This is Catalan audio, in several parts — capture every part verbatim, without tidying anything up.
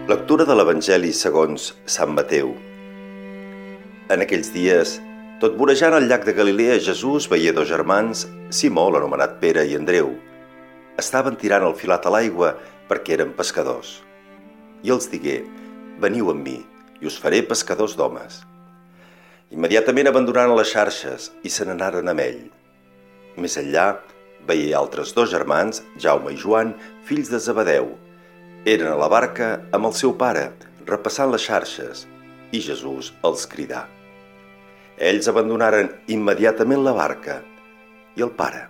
Lectura de l'Evangeli segons Sant Mateu. En aquells dies, tot vorejant al llac de Galilea, Jesús veia dos germans, Simó, l'anomenat Pere, i Andreu. Estaven tirant el filat a l'aigua perquè eren pescadors. I els digué: «Veniu amb mi, i us faré pescadors d'homes». Immediatament abandonaren les xarxes i se n'anaren amb ell. Més enllà, veia altres dos germans, Jaume i Joan, fills de Zebedeu. Eren a la barca amb el seu pare, repassant les xarxes, i Jesús els cridà. Ells abandonaren immediatament la barca i el pare,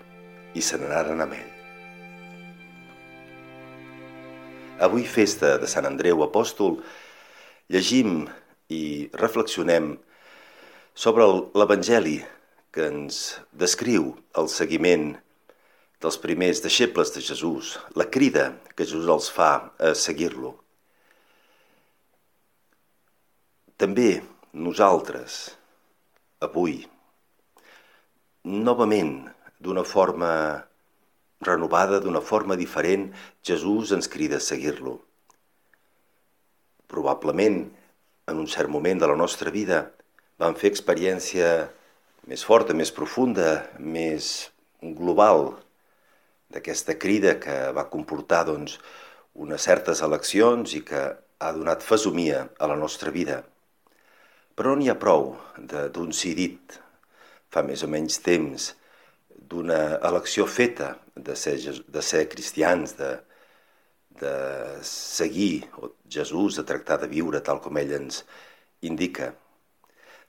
i se n'anaren amb ell. Avui, festa de Sant Andreu Apòstol, llegim i reflexionem sobre l'Evangeli que ens descriu el seguiment dels primers deixebles de Jesús, la crida que Jesús els fa a seguir-lo. També nosaltres, avui, novament, d'una forma renovada, d'una forma diferent, Jesús ens crida a seguir-lo. Probablement, en un cert moment de la nostra vida, vam fer experiència més forta, més profunda, més global, d'aquesta crida que va comportar doncs, unes certes eleccions i que ha donat fesomia a la nostra vida. Però no n'hi ha prou d'un sí dit fa més o menys temps, d'una elecció feta de ser, de ser cristians, de, de seguir Jesús, de tractar de viure tal com ell ens indica.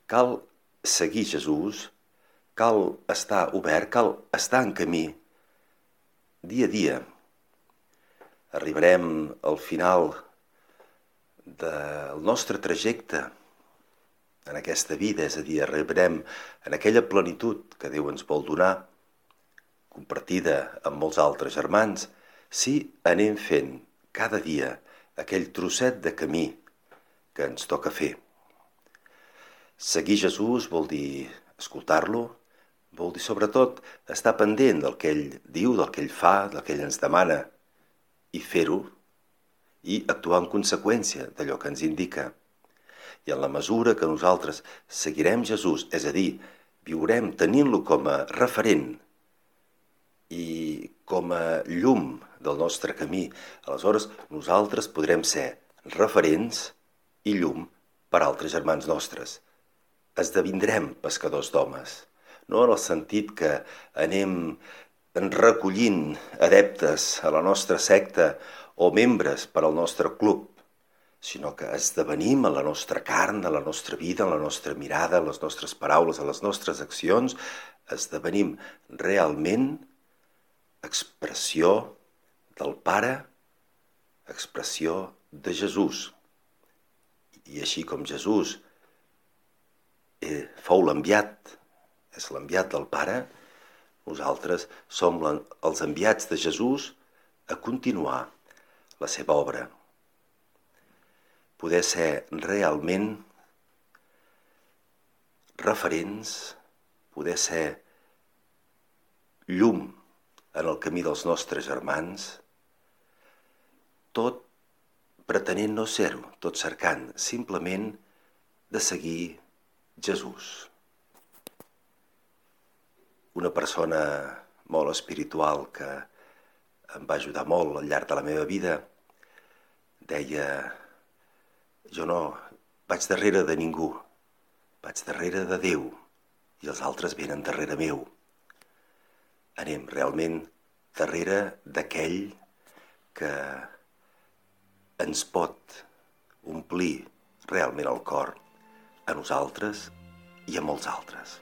Cal seguir Jesús, cal estar obert, cal estar en camí, dia a dia. Arribarem al final del nostre trajecte en aquesta vida, és a dir, arribarem en aquella plenitud que Déu ens vol donar, compartida amb molts altres germans, si anem fent cada dia aquell trosset de camí que ens toca fer. Seguir Jesús vol dir escoltar-lo, vol dir sobretot estar pendent del que ell diu, del que ell fa, del que ell ens demana, i fer-ho, i actuar en conseqüència d'allò que ens indica. I en la mesura que nosaltres seguirem Jesús, és a dir, viurem tenint-lo com a referent i com a llum del nostre camí, aleshores nosaltres podrem ser referents i llum per a altres germans nostres. Esdevindrem pescadors d'homes, no en el sentit que anem recollint adeptes a la nostra secta o membres per al nostre club, sinó que esdevenim en la nostra carn, en la nostra vida, en la nostra mirada, en les nostres paraules, en les nostres accions, esdevenim realment expressió del Pare, expressió de Jesús. I així com Jesús eh, fou l'enviat, és l'enviat del Pare, nosaltres som els enviats de Jesús a continuar la seva obra. Poder ser realment referents, poder ser llum en el camí dels nostres germans, tot pretenent no ser-ho, tot cercant simplement de seguir Jesús. Una persona molt espiritual que em va ajudar molt al llarg de la meva vida deia: jo no vaig darrere de ningú, vaig darrere de Déu i els altres venen darrere meu. Anem realment darrere d'aquell que ens pot omplir realment el cor a nosaltres i a molts altres.